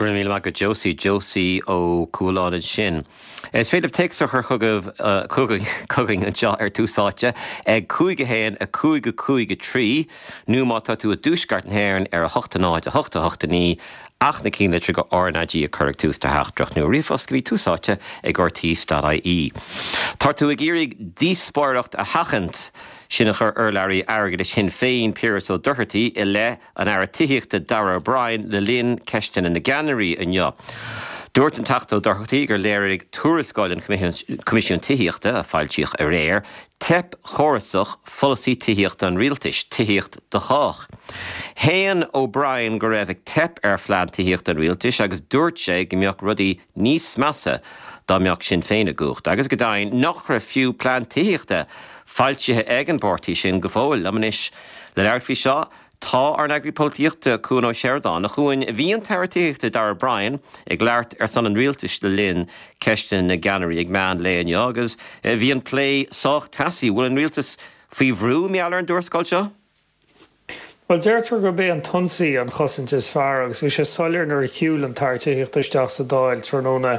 Go raibh míle maith agat Josie. Josie Ó Cualáin ansin. Is féidir libh téacs a chur chugaibh, chugainn anseo ar Tús Áite ag 5 1 5 5 3 nó má tá tú i dtuaisceart na hÉireann ar 8 0 8 8 9 ach na cinnlitreacha RnaG a chur ag tús do theachtaireacht nó ríomhphost go dtí Tús Áite ag rte.ie. Tá tú ag iarraidh díospóireacht a sheachaint, sin a chuir urlabhraí airgeadais Shinn Féin, Piaras Ó Dochartaigh, i leith an Aire Tithíochta Darragh O'Brien le linn Ceisteanna na gCeannairí inniu. Dúirt an Teachta Ó Dochartaigh gur léirigh tuarascáil an Choimisiúin Tithíochta, a foilsíodh aréir, teip chórasach pholasaí tithíochta an rialtais, Tithíocht do Chách. Shéan O'Brien go raibh ag teip ar phlean tithíochta an rialtais agus dúirt sé go mbeadh rudaí níos measa dá mbeadh Sinn Féin i gcumhacht agus go deimhin nach raibh fiú plean tithíochta foilsithe ag an bpáirtí sin go fóill. Liom anois le labhairt faoi seo Tá ár n-eagraí polaitíochta, Cuan Ó Seireadáin. A Chuain, bhí an tAire Tithíochta Darragh O'Brien ag labhairt ar son an rialtais le linn Ceisteanna na gCeannairí ag meán lae inniu agus bhí an plé sách teasaí. Bhfuil an rialtas faoi bhrú mar gheall ar an dtuarascáil seo? Bhuel, deirtear gurb é an t-ionsaí an chosaint is fearr agus bhí sé soiléir nuair a shiúil an tAire Tithíochta isteach sa Dáil tráthnóna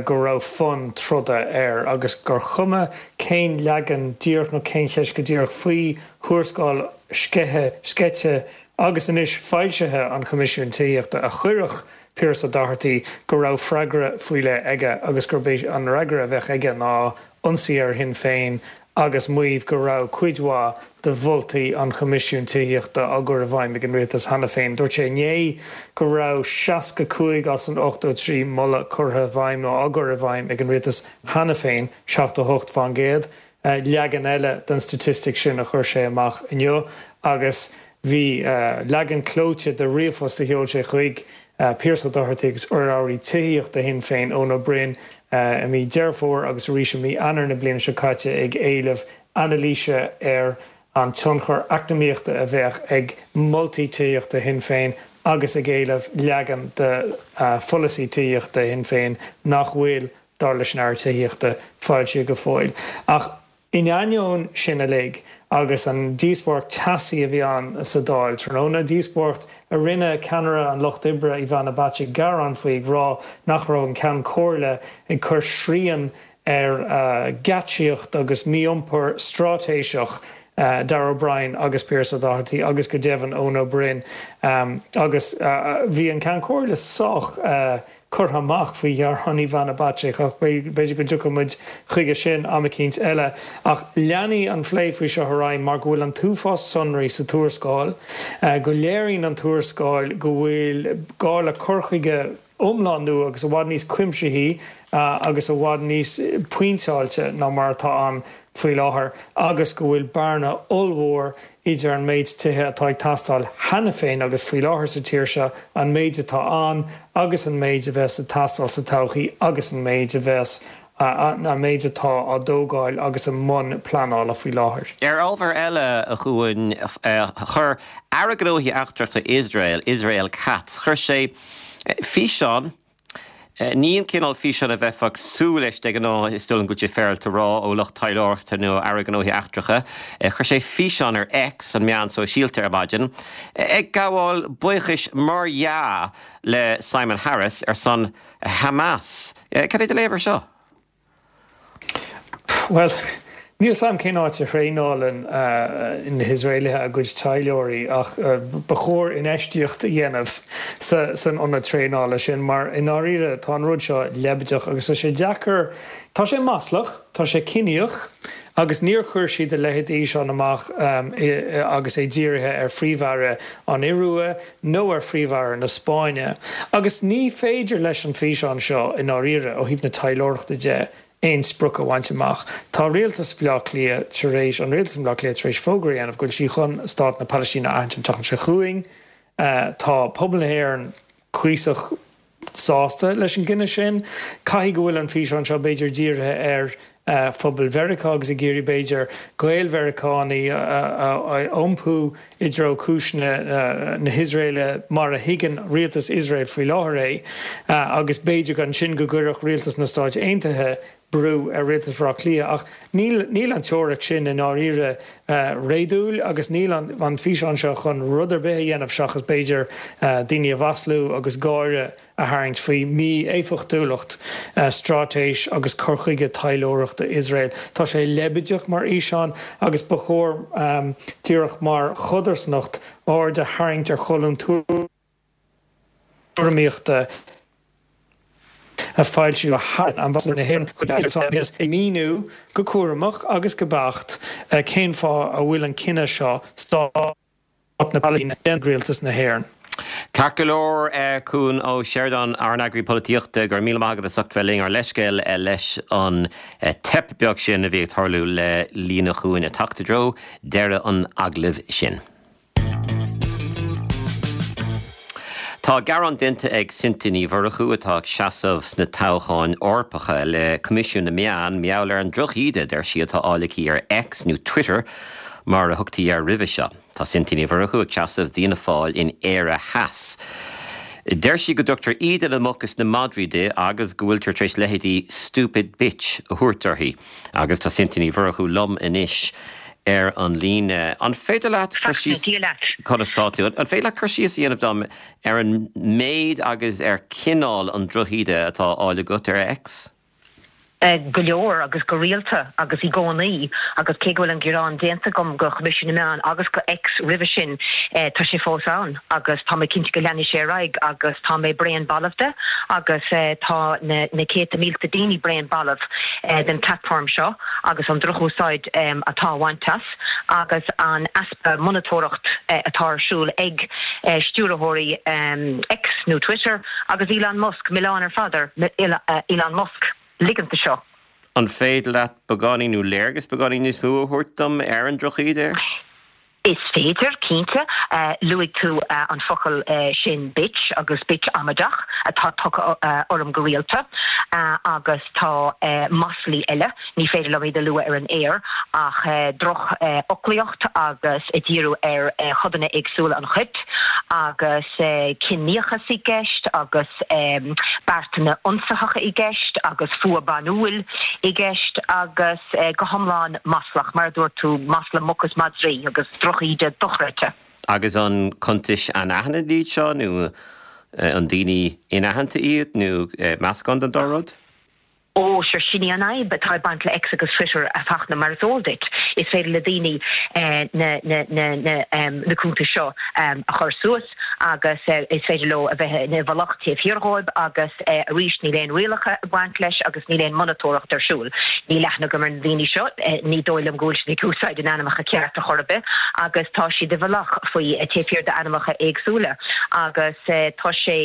go raibh fonn troda air agus gur chuma cén leagan díreach nó cén cheist go díreach faoi thuarascáil sceithe, sceite agus anois foilsithe an Choimisiúin Tithíochta a chuirfeadh Pearse Ó Dochartaigh go raibh freagra faoi leith aige agus gurb é an fhreagra a bheadh aige ná ionsaí ar Shinn Féin agus maíomh go raibh cuid mhaith de mholtaí an Choimisiúin Tithíochta á gcur i bhfeidhm ag an Rialtas cheana féin. Dúirt sé inné go raibh 65 as an 83 moladh curtha i bhfeidhm nó á gcur i bhfeidhm ag an Rialtas cheana féin, 78 fán gcéad. Leagan eile den staitistic sin a chuir sé amach inniu agus bhí leagan clóite de ríomhphost a sheol sé chuig Pearse Ó Dochartaigh agus urlabhraí tithíochta Shinn Féin, Eoin Ó Broin, i mí Deireadh Fómhair agus arís i mí Eanáir na bliana seo caite ag éileamh anailíse ar an tionchar eacnamaíochta a bheadh ag moltaí tithíochta Shinn Féin agus ag éileamh leagan de pholasaí tithíochta Shinn Féin nach bhfuil dar leis an Aire Tithíochta, foilsithe go fóill. Ach in ainneoin sin uilig, agus an díospóireacht teasaí a bhí ann sa Dáil tráthnóna, díospóireacht a rinne ceannaire an Lucht Oibre, Ivana Bacik, gearán faoi, ag rá nach raibh an Ceann Comhairle ag cur srian ar gheáitsíocht agus mí-iompar straitéiseach Darragh O'Brien agus Pearse Ó Dochartaigh agus go deimhin Eoin Ó Broin. Agus bhí an Ceann Comhairle sách curtha amach faoi ghearán Ivana Bacik ach b'fhéidir go dtiocfaidh muid chuige sin am eicínt eile. Ach leanfaidh an phlé faoi seo ar aghaidh mar go bhfuil an t-uafás sonraí sa tuarascáil, go léiríonn an tuarascáil go bhfuil gá le cur chuige iomlán nua agus i bhfad níos cuimsithí agus i bhfad níos pointeáilte ná mar atá ann faoi láthair agus go bhfuil bearna ollmhór idir an méid tithe atá ag teastáil cheana féin agus faoi láthair sa tír seo, an méid atá ann agus an méid a bheas ag teastáil sa todhchaí agus an méid a bheas, an méid atá á dtógáil agus i mbun pleanála faoi láthair. Ar ábhar eile, a Chuain, chuir Aire Gnóthaí Eachtracha Iosrael, Israel Katz, chuir sé físeán, Ní an cineál físeáin a bheifeá ag súil leis de ghnáth, is dóigh liom go bhfuil sé féaráilte a rá, ó lucht taidhleoireachta nó ó Aire Gnóthaí Eachtracha. Chuir sé físeán ar X, an meán sóisialta, ar maidin, ag gabháil buíochais mar dhea le Simon Harris ar son Hamas. Cad é do léamh ar seo? Bhuel, níl 's a'm cén áit a thraenálann na hIosraelaithe a gcuid taidhleoirí ach ba chóir infheistíocht a dhéanamh san ionad traenála sin mar i ndáiríre tá an rud seo leibideach agus tá sé deacair, tá sé maslach, tá sé ciníoch agus níor chuir siad a leithéid d'fhíseán amach agus é dírithe ar Phríomh-Aire an Iorua nó ar Phríomh-Aire na Spáinne. Agus ní féidir leis an bhfíseán seo, i ndáiríre, ó thaobh na taidhleoireachta de, aon sprioc a bhaint amach. Tá rialtas Bhaile Átha Cliath tar éis, an rialtas i mBaile Átha Cliath tar éis fógra a dhéanamh go bhfuil sí chun Stát na Palaistíne a aithint an tseachtain seo chugainn. Tá pobal na hÉireann cuíosach sásta leis an gcinneadh sin. Caithfidh go bhfuil an físeán seo, b'fhéidir, dírithe ar phobal Mheiriceá agus ag iarraidh, b'fhéidir, Gael-Mheiriceánaigh a iompú i dtreo cúiseanna na hIosraeile mar a thuigeann rialtas Iosrael faoi láthair é agus b'fhéidir ansin go gcuirfeadh rialtas na Stáit Aontaithe. brú ar Rialtas Bhaile Átha Cliath ach níl níl an teoiric sin i ndáiríre réadúil agus níl an físeán seo chun rud ar bith a dhéanamh seachas b'fhéidir daoine a mhaslú agus gáire a tharraingt faoi mhí-éifeachtúlacht straitéis agus cur chuige taidhleoireachta Iosrael. Tá sé leibideach mar fhíseán agus ba chóir díreach mar chodarsnacht aird a tharraingt ar cholún tuairimíochta a foilsíodh Ambasadóir na hÉireann chuig Iosrael ag míniú go cúramach agus go beacht cén fáth a bhfuil an cinneadh seo Stát na Palaistíne déanta ag Rialtas na hÉireann. Ceart go leor, Cuan Ó Seireadáin, ár n-eagraí polaitíochta, go raibh míle maith agat as ucht bheith linn, ár leithscéal leis an teip beag sin a bhí ag tarlú le líne Chuain ag teacht i dtreo deireadh an agallaimh sin. Tá gearán déanta ag Cynthia Ní Mhurchú, atá ag seasamh sna toghcháin Eorpacha, le Coimisiún na Meán mar gheall ar an drochíde a deir sí atá á fháil aici ar X, nó Twitter mar a thugtaí air roimhe seo. Tá Cynthia Ní Mhurchú ag seasamh d'Fhianna Fáil in Éire Theas. Deir sí go dtugtar íde na muc is na madraí di agus go bhfuiltear tar éis leithéidí 'stupid bitch' a thabhairt uirthi. Agus tá Cynthia Ní Mhurchú liom anois ar an líne. An féidir leat cur síos. Dia leat. Conas tá tú? An féidir leat cur síos a dhéanamh dom ar an méid agus ar chineál an drochíde atá á fháil agat ar X? Go leor agus go rialta agus i gcónaí agus cé go bhfuil an gearán déanta agam go Choimisiún na Meán agus go X roimhe sin, tá sé fós ann agus tá mé cinnte go leanfaidh sé ar aghaidh agus tá mé bréan balbh de agus tá na céadta mílte daoine bréan balbh den platform seo agus an drochúsáid atá á bhaint as agus an easpa monatóireacht atá ar siúl ag stiúrthóirí X nó Twitter agus Elon Musk, milleán ar fad ar Elon Musk ligint do seo. An féidir leat beagáinín nó léargas beagáinín níos mó a thabhairt dom ar an drochíde? Is féidir, cinnte. Luaigh tú an focal sin bitch agus bitch amaideach atá tugtha orm go rialta agus tá maslaí eile, ní féidir liom iad a lua ar an aer, ach drochfhoclaíocht agus ag díriú ar chodanna éagsúla an choirp agus ciníochas i gceist agus beartanna ionsaitheacha i gceist agus fuath banúil i gceist agus go hiomlán maslach, mar a dúirt tú, masla muc is madraí agus drochíde dochreidte. Agus an cuntais anaithnid iad seo nó an daoine inaitheanta iad nó meascán den dá rud? Ó, sure, sin í an fhadhb atá ag baint le X agus Twitter, a Fachtna, mar is eol duit. Is féidir le daoine na, na, na, na, na cuntais seo a chur suas agus is féidir leo a bheith i bhfolach taobh thiar dhóibh agus arís níl aon rialacha ag baint leis agus níl aon monatóireacht ar siúl. Níl aithne agam ar na daoine seo, ní dóigh liom go bhfuil siad ag úsáid a n-ainmneacha cearta chor ar bith agus tá siad i bhfolach faoi taobh thiar d'ainmneacha éagsúla agus tá sé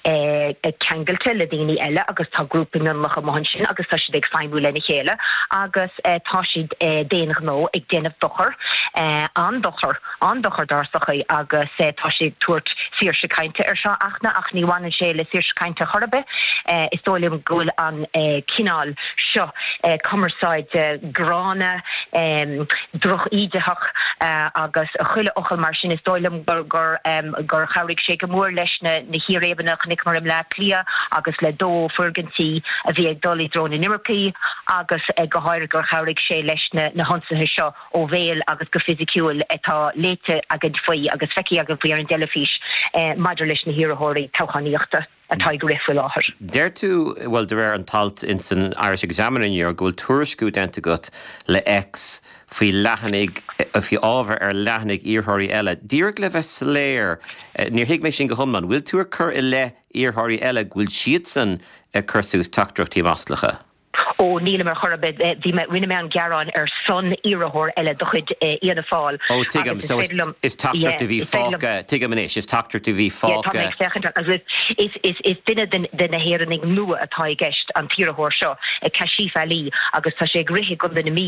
ceangailte le daoine eile agus tá grúpaí mionlach amuigh ansin agus tá siad ag feidhmiú lena chéile agus tá siad d'aon ghnó ag déanamh dochar, an-dochar. an-dochar dár sochaí agus tá sé ag tabhairt saoirse cainte air seo, a Fhachtna, ach ní bhaineann sé le saoirse cainte chor ar bith. Is dóigh liom go bhfuil an cineál seo cumarsáide gránna, droch-íditheach agus chuile fhocal mar sin, is dóigh liom gur gur chabhraigh sé go mór leis na círéibeanna a chonaiceamar i mBleá Cliath agus le dó foirgintí a bhí ag dul i dtreo na n-imircigh agus go háirithe gur chabhraigh sé leis na hionsaithe seo ó bhéal agus go fisiciúil atá léite againn faoi agus feicthe againn faoi ar an dteilifís maidir leis na hiarrthóirí toghchánaíochta atá ag rith faoi láthair. Deir tú, bhuel, de réir an t-alt in san Irish Examiner inniu, go bhfuil tuairisciú déanta agat le X faoi leathanaigh, faoi ábhar ar leathanaigh iarrthóirí eile. Díreach le bheith soiléir, níor thuig mé sin go hiomlán, bhfuil tú ag cur i leith iarrthóirí eile go bhfuil siadsan ag cur suas teachtaireachtaí maslacha? Ó, nílim ar chor ar bith. Bhí mé, rinne mé an gearán ar son iarrthóir eile de chuid Fhianna Fáil Ó, tuigim. agus is So is, féidir liom, is yeah, teachtaireacht a bhí is féidir liom, fágtha, tuigim anois, is teachtaireacht a bhí yeah, tá mé fágtha. ag féachaint ar, agus is, is, is duine den, de na hÉireannaigh nua atá i gceist, an t-iarrthóir seo, Kashif Ali, agus tá sé ag rith i gContae na Mí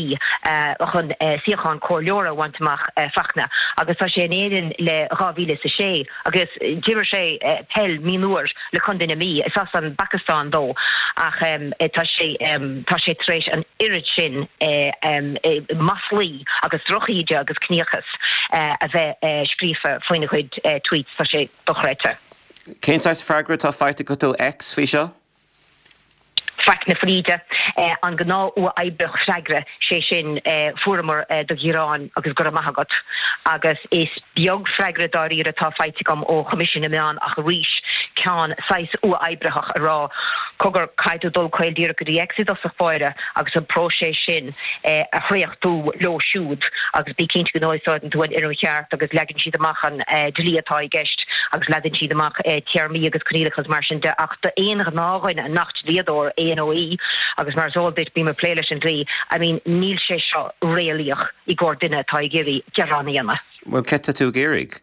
chun suíochán comhairleora a bhaint amach, Fachtna, agus tá sé in Éirinn le 2006. Agus d'imir sé peil mionúir le Contae na Mí. Is as an bPacastáin dó ach tá sé tá sé tar éis an oiread sin maslaí agus drochíde agus ciníochas a bheith scríofa faoina chuid tweets. Tá sé dochreidte. Cén saghas freagra atá faighte agat ó X faoi seo? Faic na fríde. An gnáth uathoibríoch freagra, sé sin, fuaireamar do ghearán agus go raibh maith agat. Agus is beag freagra dáiríre atá faighte agam ó Choimisiún na Meán ach arís ceann saghas uathoibritheach ag rá, cogar, caithfidh tú dul caol díreach go dtí X i dtosach báire agus an próiseas sin a thréachtú leo siúd agus bí cinnte go n-úsáideann tú an fhoirm cheart agus leagann siad amach an dlí atá i gceist agus leagann siad amach téarmaí agus coinníollacha agus mar sin de ach d'aon ghnáthdhuine nach dlíodóir é nó í agus mar is eol duit bím ag plé leis an dlí, I mean níl sé seo réalaíoch i gcomhair duine atá ag iarraidh gearán a dhéanamh. Bhuel céard tá tú ag iarraidh?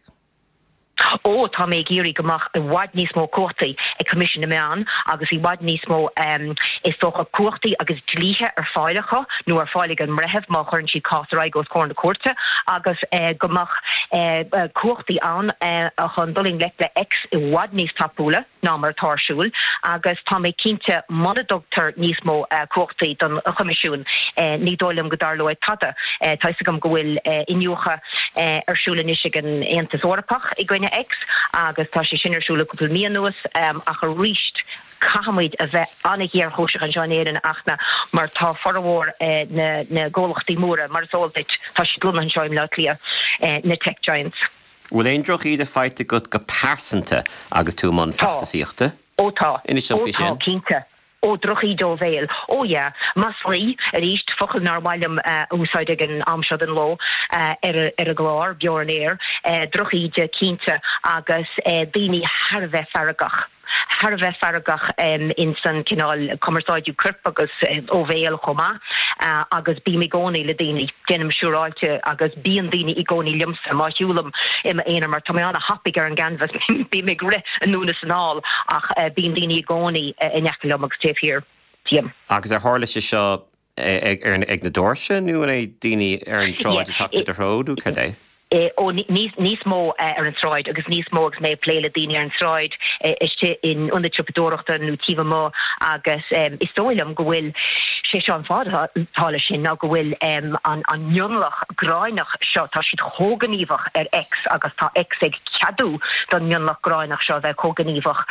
Ó, tá mé ag iarraidh go mbeadh i bhfad níos mó cumhachtaí ag Coimisiún na Meán agus i bhfad níos mó, is dócha, cumhachtaí agus dlíthe ar fáil acu nó ar fáil ag an mbreitheamh má chuireann siad cás ar aghaidh os comhair na cúirte agus go mbeadh cumhachtaí ann chun dul i ngleic le X i bhfad níos tapúla. ná mar atá ar siúl agus tá mé cinnte muna dtugtar níos mó cumhachtaí don Choimisiún ní dóigh liom go dtarlóidh tada. Tá fhios agam go bhfuil iniúchadh ar siúl anois ag an Aontas Eorpach i gcoinne X agus tá sé sin ar siúl le cúpla mí anuas ach arís caithfimid a bheith an-ghéarchúiseach anseo in Éirinn a Fhachtna mar tá formhór na gcomhlachtaí móra, mar is eol duit, tá siad lonnaithe anseo i mBleá Cliath, na tech giants. Bhfuil aon drochíde faighte agat go pearsanta agus tú i mbun feachtasaíochta? Ó tá. Inis dom Ó faoi tá, sin. cinnte. Ó, drochíde ó bhéal. Ó yeah. Maslaí, arís, focal nár mhaith liom a úsáid ag an am seo den ló ar ar an gclár, beo ar an aer. Drochíde, cinnte, agus daoine thar a bheith feargach. thar a bheith feargach ins an cineál cumarsáidiú coirp agus ó bhéal chomh maith agus bím i gcónaí le daoine, déanaim siúráilte agus bíonn daoine i gcónaí liomsa má shiúlaim i m'aonar mar tá mé ana-thapaidh ar an gcanbhas, bím ag rith anonn is anall ach bíonn daoine i gcónaí in aice liom agus taobh thiar díom. Agus ar tharla sé seo ag na doirse nó an é daoine ar an tsráid ag teacht i do threo nó cad é? Ó, níos mó ar an tsráid agus níos mó agus mé ag plé le daoine ar an tsráid, istigh in ionad siopadóireachta nó taobh amuigh agus is dóigh liom go bhfuil, sé seo an fáth atá leis sin ná go bhfuil an mionlach gráinneach seo, tá siad chomh gníomhach ar X agus tá X ag ceadú don mionlach gráinneach seo a bheith chomh gníomhach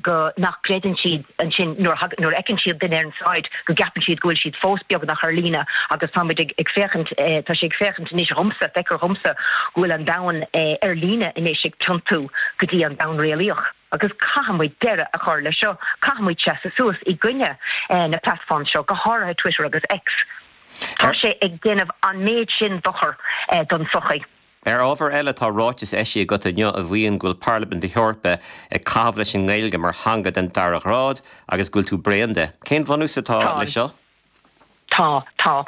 go nach gcreideann siad ansin nuair a fheiceann siad duine ar an tsráid go gceapann siad go bhfuil siad fós beagnach ar líne agus táimid ag féachaint, tá sé ag féachaint anois dhomsa, feictear dhomsa go bhfuil an domhan ar líne anois ag tiontú go dtí an domhan réalaíoch agus caithfidh muid deireadh a chur leis seo, caithfidh muid seasamh suas i gcoinne na platforms seo, go háirithe Twitter agus X. Tá sé ag déanamh an méid sin dochar don tsochaí. Ar ábhar eile, tá ráiteas eisithe agat inniu a mhaíonn go bhfuil Parlaimint na hEorpa ag caitheamh leis an nGaeilge mar theanga den dara ghrád agus go bhfuil tú bréan de. Cén bhunús atá leis seo? Tá, tá.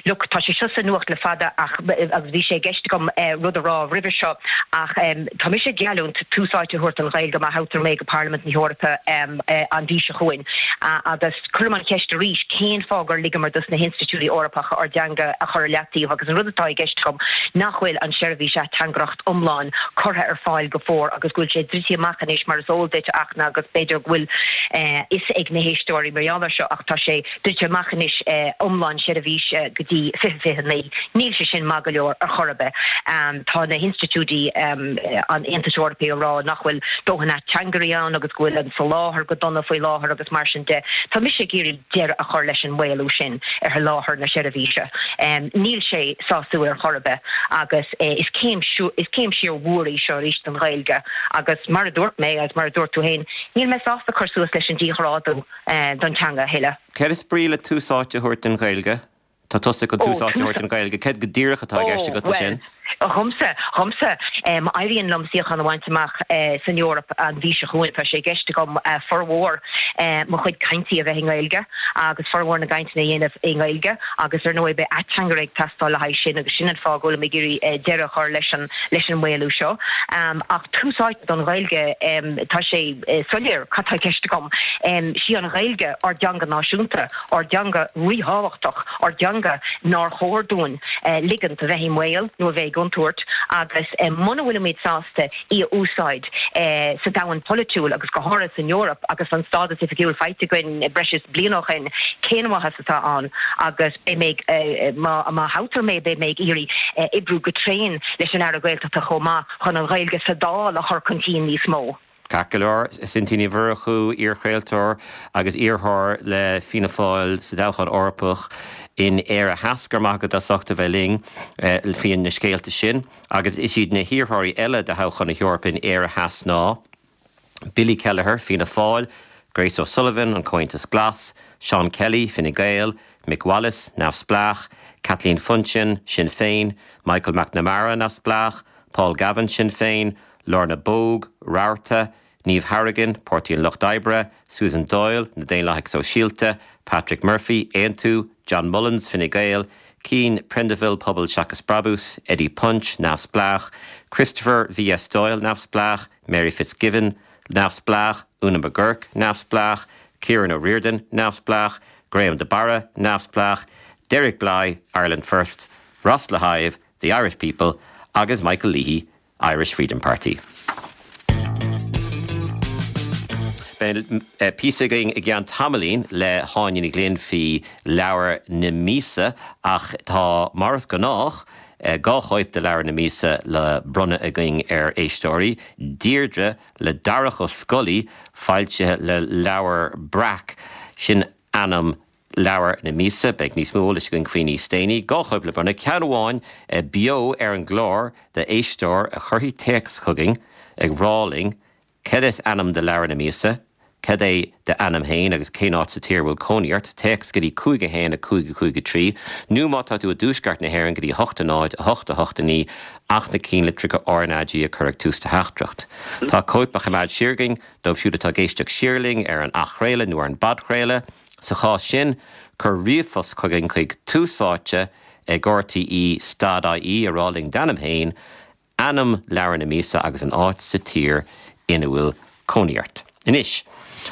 Look, tá sé seo sa nuacht le fada ach, agus bhí sé i gceist agam rud a rá roimhe seo, ach tá mise ag geallúint tús áite a thabhairt don Ghaeilge má thoghtar mé go Parlaimint na hEorpa an mhí seo chugainn agus, Cuirim an cheist arís, cén fáth gur ligeamar dos na hinstitiúidí Eorpacha ár dteanga a chur i leataobh agus an rud atá i gceist agam nach bhfuil an seirbhís ateangaireacht iomlán curtha ar fáil go fóill agus go bhfuil sé druidte amach anois mar is eol duit a Fhachtna agus b'fhéidir go bhfuil fhios ag na héisteoirí mar gheall air seo ach tá sé druidte amach anois iomlán seirbhís go dtí 2029. Níl sé sin maith go leor ar chor ar bith. Tá na hinstitiúidí an Aontais Eorpaigh ag rá nach bhfuil dóthain ateangairí ann agus go bhfuil an soláthar go dona faoi láthair agus mar sin de. Tá mise ag iarraidh deireadh a chur leis an maolú sin ar sholáthar na seirbhíse. Níl sé sásúil ar chor ar bith agus is céim is céim siar mhór í seo arís don Ghaeilge agus mar a dúirt mé agus mar a dúirt tú féin, níl mé sásta cur suas leis an díghrádú don teanga a thuilleadh. Céard is brí le tús áite a thabhairt don Ghaeilge? Tá tusa chun tús áite a thabhairt don Ghaeilge. Céard go díreach atá i gceist agat leis sin? Ó, dhomsa, dhomsa, má éiríonn liom suíochán a bhaint amach san Eoraip an mhí seo chugainn, tá sé i gceist agam formhór mo chuid caintí a bheith i nGaeilge agus formhór na gcainteanna a dhéanamh i nGaeilge agus ar ndóigh beidh ateangaire ag teastáil le haghaidh sin agus sin an fáth go bhfuilim ag iarraidh deireadh a chur leis an leis an maolú seo. Ach tús áite don Ghaeilge, tá sé soiléir cad tá i gceist agam. Sí an Ghaeilge ár dteanga náisiúnta. ár dteanga ríthábhachtach, ár dteanga nár chóir dúinn ligint a bheith i mbaol nó a bheith i gcontúirt agus muna bhfuilimid sásta í a úsáid sa domhan polaitiúil agus go háirithe san Eoraip agus an stádas oifigiúil faighte againn breis is bliain ó shin, cén mhaitheas atá ann? Agus beidh mé ag, má thoghtar mé, beidh mé ag iarraidh oibriú go tréan leis an Aire Gaeltachta chomh maith chun an Ghaeilge sa Dáil a chur chun cinn níos mó. Ceart go leor, Cynthia Ní Mhurchú, iarchraoltóir agus iarrthóir le Fianna Fáil sa dtoghchán Eorpach in Éire Theas, go raibh maith agat as ucht a bheith linn faoi na scéalta sin. Agus is iad na hiarrthóirí eile do thoghchán na hEorpa in Éire Theas ná, Billy Kelleher, Fianna Fáil, Grace O'Sullivan, An Comhaontas Glas, Seán Kelly, Fine Gael, Mick Wallace, Neamhspleách, Kathleen Funchion, Sinn Féin, Michael McNamara, Neamhspleách, Paul Gavin, Sinn Féin, Lorna Bogue, Rabharta, Niamh Hourigan, Páirtí an Lucht Oibre, Susan Doyle, Na Daonlathaigh Sóisialta, Patrick Murphy, Aontú, John Mullins, Fine Gael, Cian Prendiville, Pobal Seachas Brabús, Eddie Punch, Neamhspleách, Christopher V.S. Doyle, Neamhspleách, Mary Fitzgibbon, Neamhspleách, Una McGurk, Neamhspleách, Ciaran O'Riordan, Neamhspleách, Graham de Barra, Neamhspleách, Derek Blighe, Ireland First, Ross Le hIve, The Irish People, agus Michael Leahy, Irish Freedom Party. Beidh píosa againn i gceann tamaillín le hÁine Ní Ghlinn faoi leabhar na míosa ach tá, mar is gnách, 2 chóip de leabhar na míosa le bronnadh againn ar éisteoirí, Deirdre le Darach Ó Scolaí, foilsithe le Leabhar Breac. Sin ainm leabhar na míosa. Beidh níos mó eolais againn faoi níos déanaí. 2 chóip le bronnadh, ceann amháin beo ar an gclár d'éisteoir a chuirfidh téacs chugainn ag rá linn Cad is ainm do leabhar na míosa? Cad é d'ainm féin agus cén áit sa tír a bhfuil cónaí ort? Téacs go dtí 5 1 5 5 3 nó má tá tú i dtuaisceart na hÉireann go dtí 8 0 8 8 9 ach na cinnlitreacha RnaG a chur ag tús do theachtaireacht. Tá cóip á choimeád siar againn dóibh siúd atá ag éisteacht siar linn ar an athchraoladh nó ar an bpodchraoladh. Sa chás sin, cuir ríomhphost chugainn chuig túsáite ag rte stad ie a rá linn d'ainm féin, ainm leabhar na míosa agus an áit sa tír ina bhfuil cónaí ort. Anois,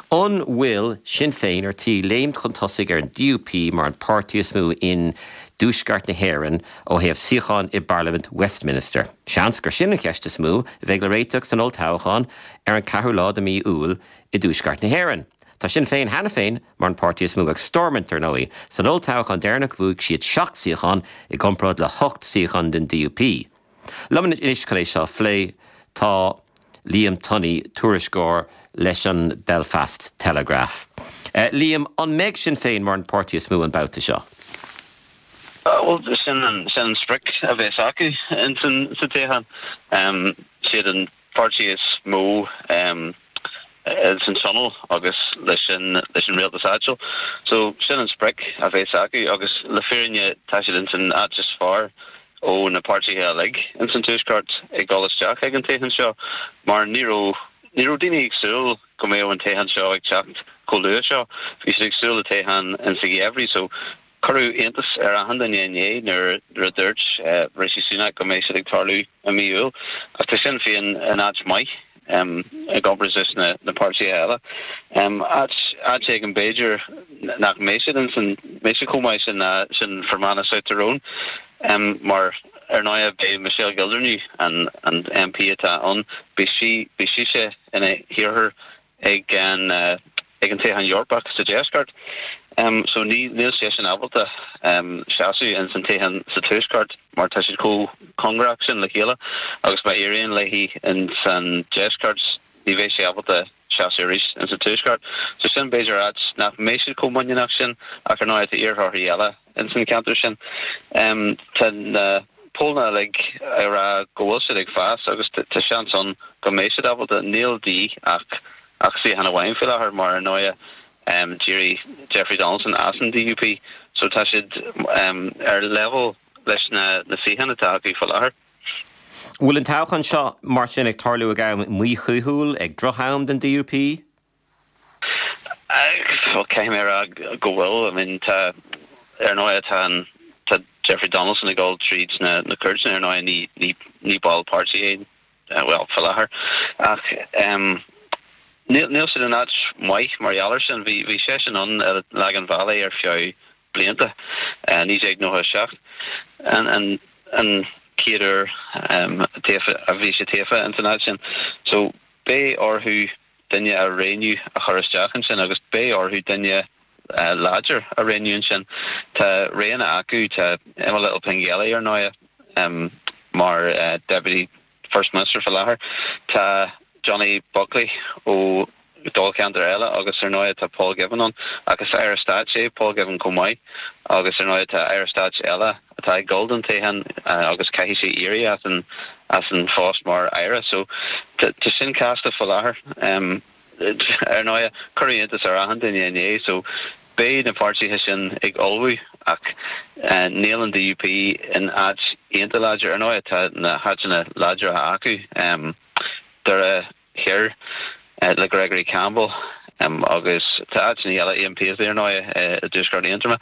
an bhfuil Sinn Féin ar tí léimt chun tosaigh ar an DUP mar an páirtí is mó in dtuaisceart na hÉireann ó thaobh suíochán i bParlaimint Westminster? Seans gur sin an cheist is mó a bheidh le réiteach san olltoghchán ar an 4ú lá de mhí Iúil i dtuaisceart na hÉireann. Tá Sinn Féin cheana féin mar an páirtí is mó ag Stormont, ar ndóigh. San olltoghchán deireanach bhuaigh siad 7 suíochán i gcomparáid le 8 suíochán don DUP. Liom anois chun é seo a phlé tá Liam Tunney, tuairisceoir leis an Belfast Telegraph. Liam, an mbeidh Sinn Féin mar an páirtí is mó an babhta seo? Bhuel, sin an sin an sprioc a bheas acu ins sa toghchán. Siad an páirtí is mó ins an tionól agus leis an leis an rialtas áitiúil. So sin an sprioc a bheas acu agus le fírinne tá siad ins an áit is fearr ó na páirtithe uilig ins an Tuaisceart ag dul isteach ag an toghchán seo mar ní raibh ní raibh daoine ag súil go mbeadh an toghchán seo ag teacht chomh luath seo. Bhí siad ag súil le toghchán ins an gheimhreadh so Cuireadh iontas ar achan duine inné nuair a dúirt Rishi Sunak go mbeidh siad ag tarlú i mí Iúil. Ach tá Sinn Féin in áit maith i gcomparáid leis na páirtithe eile. Áit áit éigin b'fhéidir nach mbeidh siad ins an mbeidh siad chomh maith sin ná sin Fermanagh South Tyrone mar ar ndóigh beidh Michelle Gildernew an an MP atá ann beidh sí beidh sise ina hiarrthóir ag an ag an toghchán Eorpach sa deisceart. So ní níl seisean ábalta seasamh ins an toghchán sa tuaisceart mar tá siad chomh cóngarach sin le chéile agus má éiríonn léi ins an deisceart ní bheidh sí ábalta seasamh arís ins an tuaisceart. So sin b'fhéidir áit nach mbeidh siad chomh muiníneach sin ach ar ndóigh tá iarrthóirí eile ins an ceantar sin. Tá na pollna uilig ag rá go bhfuil siad ag fás agus tá seans ann go mbeidh siad ábalta. Níl de dhíth ach ach suíochán amháin faoi láthair mar ar ndóighe d'éirigh Jeffrey Donaldson as an DUP so tá siad ar level leis na na suíocháin atá acu faoi láthair. Bhfuil an toghchán seo mar sin ag tarlú ag am míchaoithiúil, ag droch-am don DUP? Bhuel, caithfidh mé a rá go bhfuil. I mean, tá, ar ndóigh, tá an, tá Jeffrey Donaldson ag dul tríd na, na cúirteanna, ar ndóigh, ní, ní, ní ball páirtí é, bhuel, faoi láthair. Ach, em, níl, níl siad in áit mhaith mar gheall air sin. Bhí, bhí seisean ann i Lagan Valley ar feadh blianta, 1997, an, an, an chéad uair, em, taofa, a bhí sé tofa ins an áit sin. So, beidh orthu duine a roghnú a chur isteach ansin agus beidh orthu duine láidir a roghnú ansin. Tá roghanna acu, tá Emma Little-Pengelly ar ndóighe mar Deputy First Minister faoi láthair. Tá. Johnny Buckley ó dáilcheantar eile agus ar ndóigh tá Paul Givan ann ach is Aire Stáit é Paul Givan chomh maith agus ar ndóigh tá Aire Stáit eile atá ag dul don toghchán agus caithfidh sé éirí as an as an phost mar Aire so tá sin casta faoi láthair. Ar ndóigh cuireadh iontas ar achan duine inné so beidh na páirtithe sin ag ullmhú ach níl an DUP in áit iontach láidir. Ar ndóigh tá na háiteanna láidre acu, Doire Thoir le Gregory Campbell agus tá áiteanna eile, Ian Paisley ar ndóigh i dTuaisceart Aontroma.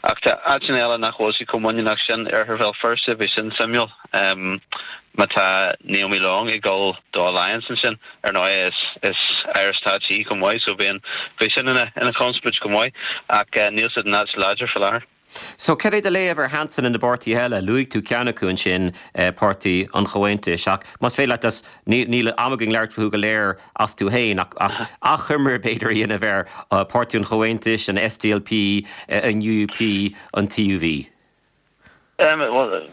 Ach tá áiteanna eile nach bhfuil siad chomh muiníneach sin, Oirthear Bhéal Feirste, beidh sin suimiúil má tá Naomi Long ag dul do Alliance ansin. Ar ndóigh is is Aire Stáit í chomh maith so beidh beidh sin ina ina chonspóid chomh maith ach níl siad in áit láidir faoi láthair. So, cad é do léamh ar sheansanna na bpáirtithe eile? Luaigh tú ceann acu ansin, Páirtí an Chomhaontais, ach más féidir leat, níl am againn labhairt fúthu go léir astu féin, ach achoimre b'fhéidir a dhéanamh ar Páirtí an Chomhaontais, an SDLP, an UUP, an TUV. Bhuel,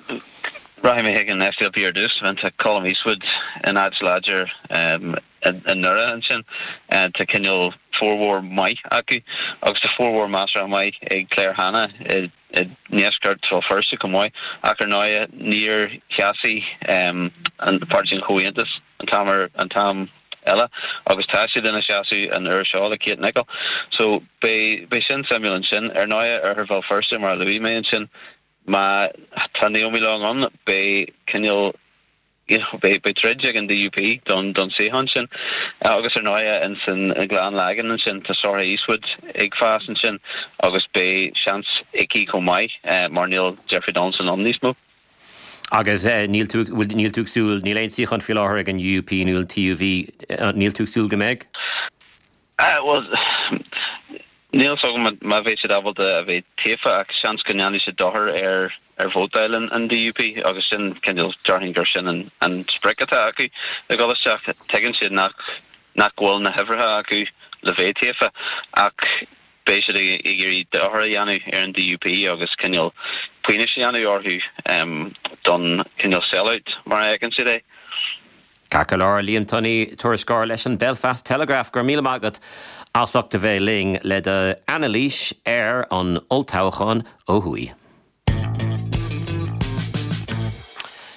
rachaidh mé chuig an SDLP ar dtús. Tá Colum Eastwood in áit láidir i nDoire ansin. Tá cineál formhór maith acu agus tá formhór measartha maith ag Claire Hanna i ndeisceart Bhéal Feirste chomh maith. Ach ar ndóigh níor sheasaigh an Páirtí an Chomhaontais an t-am ar an t-am eile agus tá siad ina seasamh an uair seo le Kate Nicholl. So beidh beidh sin suimiúil ansin. Ar ndóigh Oirthear Bhéal Feirste mar a luaigh mé ansin má tá Naomi Long ann beidh cineál you know, beidh beidh troid ag an DUP don don suíochán sin. Agus ar ndóigh ins an Ghleann Lagán ansin tá Sorcha Eastwood ag fás ansin agus beidh seans aici chomh maith mar níl Jeffrey Donaldson ann níos mó. Agus níl tú, bhfuil, níl tú ag súil, níl aon suíochán faoi láthair ag an UUP nó an TUV, níl tú ag súil go mbeidh? Bhuel, níl 's agam má bheidh siad ábalta a bheith taofa ach seans go ndéanfaidh siad dochar ar ar vótáil an DUP agus sin cineál, déarfainn gur sin an an sprioc atá acu ag dul isteach. Tuigeann siad nach nach bhfuil na huimhreacha acu le bheith taofa ach beidh siad ag iarraidh dochar a dhéanamh ar an DUP agus cineál pionós a dhéanamh orthu don cineál sell-out mar a fheiceann siad é. Ceart go leor, Liam Tunney, tuairisceoir leis an Belfast Telegraph, go raibh míle maith agat as ucht a bheith linn le d'anailís ar an olltoghchán ó thuaidh.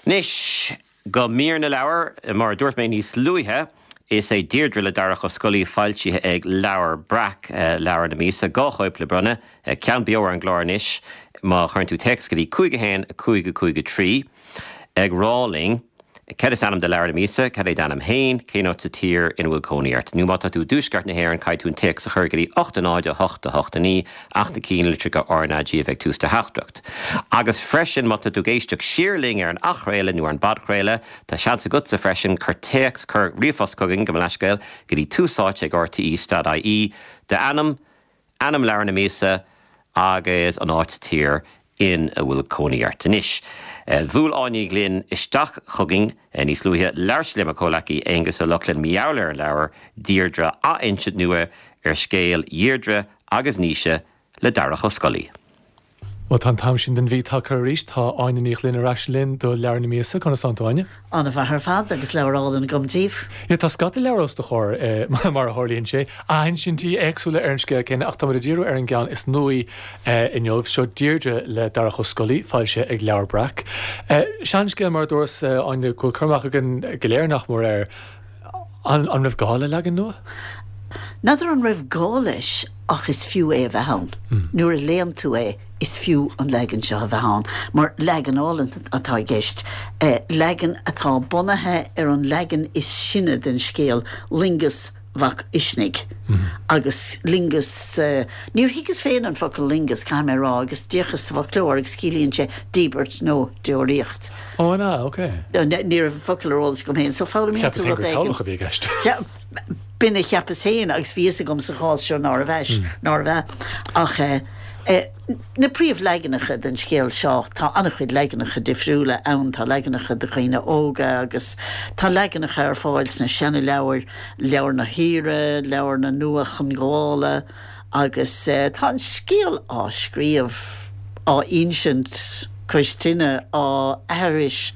Anois go mír na leabhar. Mar a dúirt mé níos luaithe, is é Deirdre le Darach Ó Scolaí, foilsithe ag Leabhar Breac, leabhar na míosa. 2 chóip le bronnadh, ceann beo ar an gclár anois má chuireann tú téacs go dtí 5 1 5 5 3 ag rá linn Cad is ainm do leabhar na míosa? Cad é d'ainm féin? Cén áit sa tír ina bhfuil cónaí ort? Nó má tá tú i dtuaisceart na hÉireann, caithfidh tú an téacs a chur go dtí 8 0 8 8 9, ach na cinnlitreacha RnaG a bheith ag tús do theachtaireacht. Agus freisin, má tá tú ag éisteacht siar linn ar an athchraoladh nó ar an bpodchraoladh, tá seans agatsa freisin, cuir téacs, cuir ríomhphost chugainn, gabh mo leithscéal, go dtí tús áite ag rte stad ie, d'ainm, ainm leabhar na míosa agus an áit sa tír in a bhfuil cónaí ort. Anois, bhuail Áine Ní Ghlinn isteach chugainn níos luaithe. Labhair sí le mo chomhleacaí Aonghus Ó Lochlainn mar gheall ar an leabhar Deirdre, athinsint nua ar scéal Dheirdre agus Naoise le Darach Ó Scolaí. Bhuel, tá an t-am sin den mhí tagtha arís. Tá Áine Ní Ghlinn ar ais linn do Leabhar na Míosa. Conas tánn tú, Áine? An-mhaith ar fad, agus leabhar álainn agam daoibh. Yeah, tá scata leabhar os do chomhair, mar a tharlaíonn sé. Athinsintí éagsúla ar an scéal céanna, ach táimid ag díriú ar an gceann is nuaí inniu. Seo Deirdre le Darach Ó Scolaí, foilsithe ag Leabhar Breac. Seanscéal, mar a dúras, Áine, go bhfuil cur amach againn go léir, nach mór, air. An raibh gá le leagan nua? N'fheadar an raibh gá leis ach is fiú é a bheith ann. Nuair a léann tú é is fiú an leagan seo a bheith ann mar leagan álainn atá i gceist, leagan atá bunaithe ar an leagan is sine den scéal, Loingeas Mhac Uisnigh. Agus loingeas, níor thuigeas féin an focal loingeas, caithfidh mé a rá, agus d'fhéachas sa bhfoclóir agus ciallaíonn sé díbirt nó deoraíocht. Ó, an ea? Ok. Ní raibh an focal ar eolas agam féin, so foghlaimíonn tú Cheapas féin gur toghlach a bhí i gceist. B'in a cheapas féin agus bhí fhios agam sa chás seo nárbh ea, nárbh ea. Ach eh, na príomhleaganacha den scéal seo, tá an-chuid leaganacha difriúla ann, tá leaganacha do dhaoine óga agus tá leaganacha ar fáil sna seana-leabhair, Leabhar na hAoire, Leabhar na Nua-Chongabhála, Agus tá an scéal á scríobh, á insint cois tine, á aithris.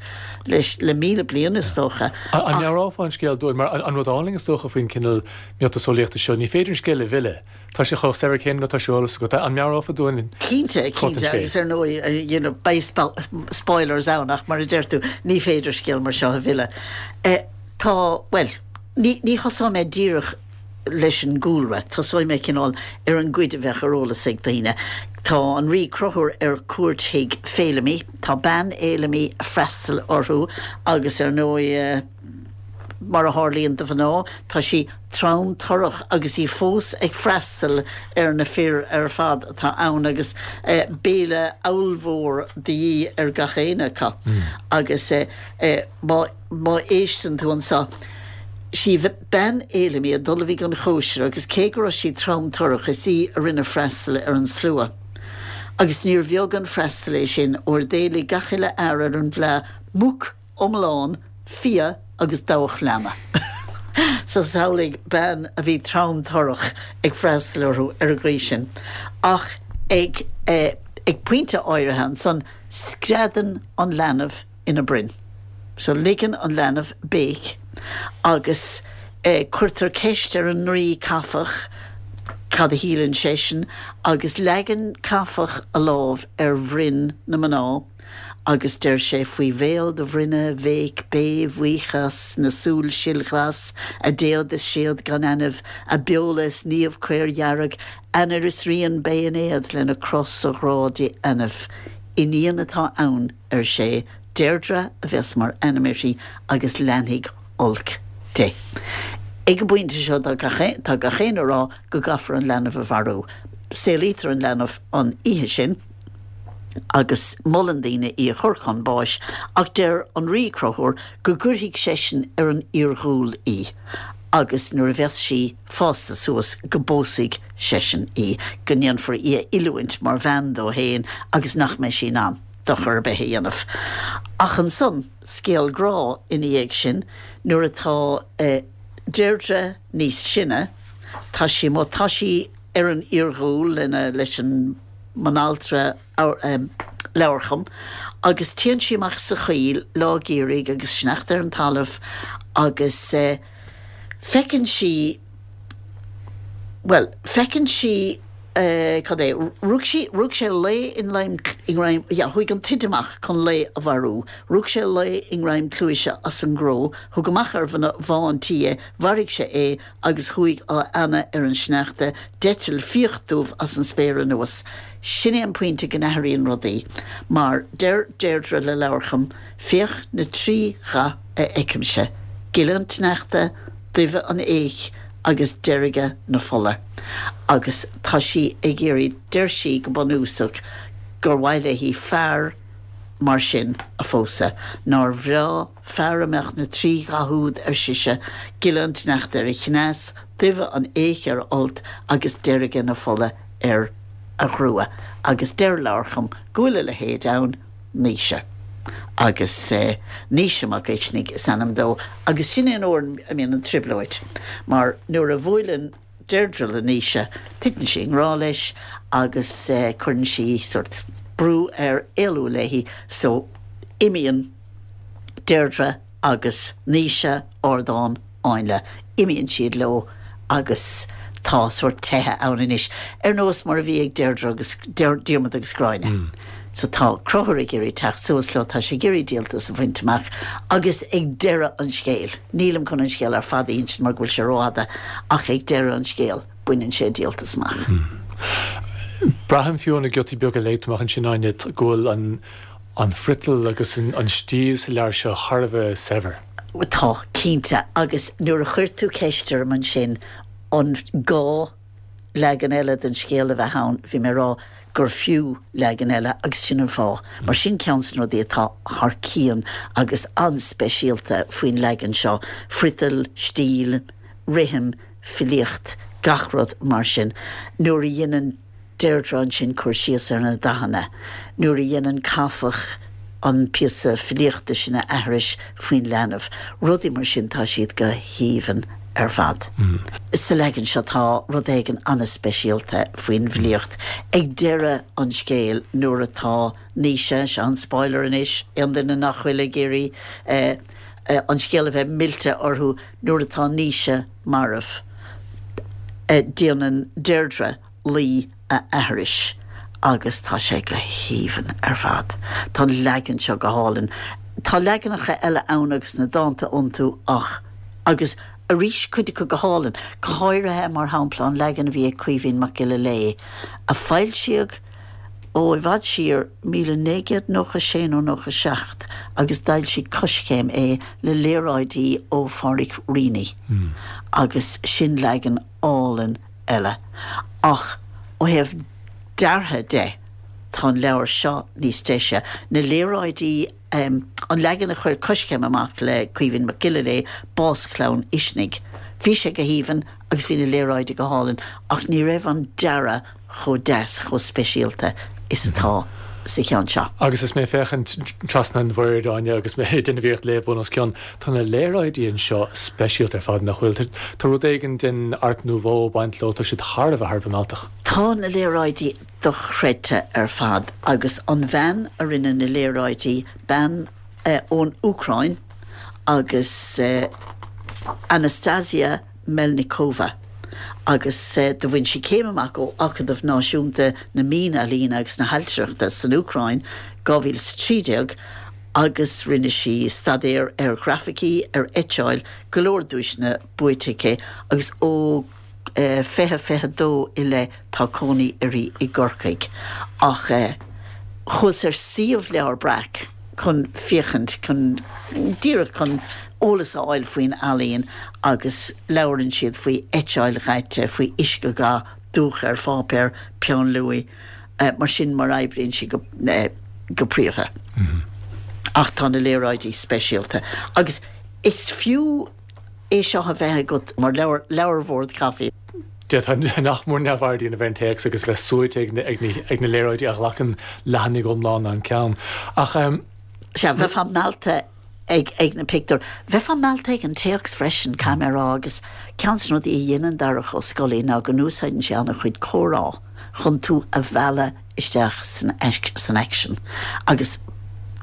leis le 1,000 bliain is dócha. An meabhrófá an scéal dúinn? Mar an rud álainn is dócha faoin cineál miotaseolaíochta seo, ní féidir an scéal a mhilleadh. Tá sé chomh saibhir céanna nuair atá sé ar eolas agat. An meabhrófá dúinn Cinnte, plot an cinnte, scéil? agus ar ndóigh, you know, beidh spoilers ann ach mar a deir tú, ní féidir scéal mar seo a mhilleadh. Tá, bhuel, ní, ní thosóidh mé díreach leis an gcúlra, tosóidh mé cineál ar an gcuid a bheadh ar eolas ag daoine. Tá an Rí Conchúr ar cuairt chuig Féilimí, tá bean Fhéilimí ag freastal orthu agus ar ndóigh, mar a tharlaíonn do mhná, tá sí trom torrach agus í fós ag freastal ar na fir ar fad atá ann agus béile ollmhór de dhíth ar gach éinne acu. Agus má. Má éisteann tú anso, sí bean Fhéilimí a d'ullmhaigh an chóisir agus cé go raibh sí trom torrach is í a rinne freastal ar an slua. Agus níor bheag an freastal é sin, óir d'éiligh gach uile fhear ar an bhfleadh muc iomlán, fia agus dabhach leanna. So samhlaigh bean a bhí trom torrach ag freastal orthu ar an gcaoi sin. Ach ag ag pointe áirithe ansan screadann an leanbh ina broinn. So ligeann an leanbh béic agus cuirtear ceist ar an nDraoi Cathbhadh cad a shíleann seisean agus leagann Cathbhadh a lámh ar bhroinn na mná agus deir sé Faoi bhéal do bhroinne bhéic bé bhuíochas na súl silghlas, a déad is séad gan ainimh, a beola is niamh caordhearg, ainnir is rian beidh in éad lena cros a ghrá di ainimh. Iníon atá ann. ar sé, Deirdre a bheas mar ainm uirthi agus leanfaidh olc di. Ag an bpointe seo tá gach tá gach éinne ag rá go gcaithfear an leanbh a mharú. Saolaítear an leanbh an oíche sin agus molann daoine í a chur chun báis ach deir an Rí Conchúr go gcuirfidh seisean ar an iarghúil í agus nuair a bheas sí fásta suas go bpósfaidh seisean í, go ndéanfar í a oiliúint mar bhean dó féin agus nach mbeidh sí in ann. dochar ar bith a dhéanamh. Ach ansan, scéal grá ina dhiaidh sin, nuair atá Deirdre níos sine, tá sí amuigh, tá sí ar an iarghúil lena, leis an mbanaltra Leabharcham, agus téann sí amach sa choill lá geimhridh agus sneachta ar an talamh agus feiceann sí, bhuel, feiceann sí, cad é, rug sí, rug sé lao i ngreim, i ngreim, yeah, chuaigh an t-oide amach chun lao a mharú, rug sé lao i ngreim cluaise as an gcró, thug amach ar bhá an tí é, mharaigh sé é agus chuaigh á fheannadh ar an sneachta, d'eitil fiach dubh as an spéir anuas. Sin é an pointe go n-athraíonn rudaí, mar deir Deirdre le Leabharcham, féach na trí dhath a fheicimse, gile an tsneachta, duibhe an fhéich agus deirge na fola. Agus tá sí ag iarraidh, deir sí go bunúsach gur mhaith léi fear mar sin a phósadh. Nár bhreá fear a mbeadh na trí dhath úd, ar sise, gile an tsneachta ar a chneas, duibhe an fhéich ar a fholt agus deirge na fola ar a ghrua. Agus deir Leabharcham go bhfuil a leithéid ann. Naoise. Agus Naoise Mac Uisnigh is ainm dó agus sin é an uair a mbíonn an trioblóid mar nuair a bhuaileann Deirdre le Naoise titeann sí i ngrá leis agus cuireann sí sórt brú air éalú léi so imíonn Deirdre agus Naoise Ardán Áinle. Imíonn siad leo agus tá sórt teitheadh ann anois, ar nós mar a bhí ag Deirdre agus, Diarmaid agus Gráinne. So tá Conchúr ag iarraidh teacht suas leo, tá sé ag iarraidh díoltas a bhaint amach agus ag deireadh an scéil, nílim chun an scéal ar fad a insint mar go bhfuil sé rófhada, ach ag deireadh an scéil baineann sé díoltas amach. Braithim fiú ó na giotaí beaga a léigh tú amach ansin, Áine, go bhfuil an an friotal agus an stíl sa leabhar seo thar a bheith saibhir. Tá, cinnte. Agus nuair a chuir tú ceist orm ansin an gá leagan eile den scéal a bheith ann, bhí mé ag rá gur fiú leagan eile agus sin an fáth. Mar sin ceann de na rudaí atá thar cionn agus an-speisialta faoin leagan seo, friotal, stíl, rithim, filíocht, gach rud mar sin. Nuair a dhéanann. Deirdre ansin cur síos ar na dathanna nuair a dhéanann Cathbhadh an píosa filíochta sin a aithris faoin leanbh, rudaí mar sin, tá siad go haoibhinn ar fad. Sa leagan seo tá rud éigin an-speisialta faoin bhfilíocht. Ag deireadh an scéil nuair atá Naoise, seo an spoiler anois, aon duine nach bhfuil ag iarraidh an scéal a bheith millte orthu, nuair atá Naoise marbh, déanann Deirdre laoi a aithris agus tá sé go haoibhinn ar fad. Tá an leagan seo go hálainn. Tá leaganacha eile ann agus na dánta iontu ach, agus arís cuid acu go hálainn, go háirithe mar shampla an leagan a bhí ag Caoimhín Mac Giolla Léith a foilsíodh ó i bhfad siar, 1996 nó 97, agus d'fhoilsigh Coiscéim é le léaráidí ó Phádhraic Reaney agus sin leagan álainn eile. Ach ó thaobh deartha de, tá an leabhar seo níos deise. Na léaráidí, an leagan a chuir Coiscéim amach le Caoimhín Mac Giolla Léith, Bás Chlann Uisnigh, bhí sé go haoibhinn agus bhí na léaráidí go hálainn, ach ní raibh an dearadh chomh deas, chomh speisialta is atá sa cheann seo. Agus is mé ag féachaint trasna an bhoird, Áine, agus mé ag déanamh iarracht léamh bun os cionn, tá na léaráidí anseo speisialta ar fad, nach bhfuil? Tá rud éigin den Art Nouveau ag baint leo, tá siad thar a bheith, thar a bheith mealltach. Tá na léaráidí dochreidte ar fad agus an bhean a rinne na léaráidí, bean ón Úcráin agus Anastasia Melnikova agus do bhain sí céim amach ó Acadamh Náisiúnta na Mín-Ealaíne agus na hAiltireachta san Úcráin, 2013, agus rinne sí staidéar ar ghrafaicí, ar eitseáil, go leor duaiseanna buaite aici agus ó 2022 i leith tá cónaí uirthi i gCorcaigh. Ach chuas ar suíomh Leabhar Breac chun féachaint, chun, díreach chun eolas a fháil faoin ealaín agus labhrann siad faoi eitseáil dhaite, faoi uiscedhath, dúch ar pháipéar, peann luaidhe, mar sin mar a oibríonn sí go, go príomha. Ach tá na léaráidí speisialta agus is fiú é seo a bheith agat mar leabhar, leabharbhord caife. D'fhéadfá nach mór neamhaird a dhéanamh ar an téacs agus bheith suaite ag na léaráidí a ghlacann leathanaigh iomlána an ceann. Ach. Sea, bheifeá meallta ag ag na pictiúir. Bheifeá meallta ag an téacs freisin, caithfidh mé a rá, agus ceann de na rudaí a dhéanann Darach Ó Scolaí ná go n-úsáideann sé an-chuid comhrá chun tú a mhealladh isteach san san aicsean. Agus